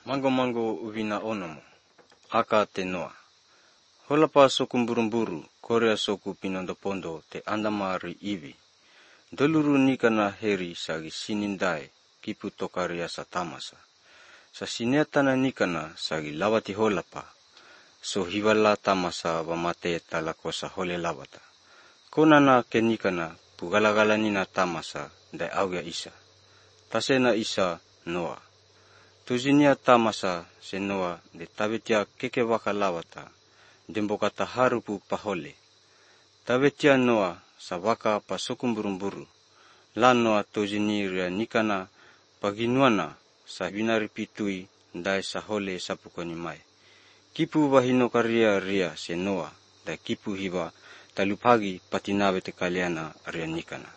Mango uvina onomo. Aka te noa. Holapa soku mburumburu, korea soku pinondopondo te andamari iwi. Doluru nikana heri sagi sinindai, kipu tokaria sa tamasa. Sa sineatana nikana sagi lawati holapa. So hiwala tamasa wamate talakosa hole lawata. Konana ke nikana pugalagalanina tamasa dai auga isa. Tasena isa noa. Tuzinia tamasa se noa de tabetia keke waka lawata. Dembokata harupu pahole. Tabetia noa sa waka pa sokumburumburu. La noa tuziniria nikana paginuana sa binaripitui dai sa hole sapukoni mai. Kipu wahinokaria ria se noa da kipu hiwa talupagi patinawe te kaliana ria nikana.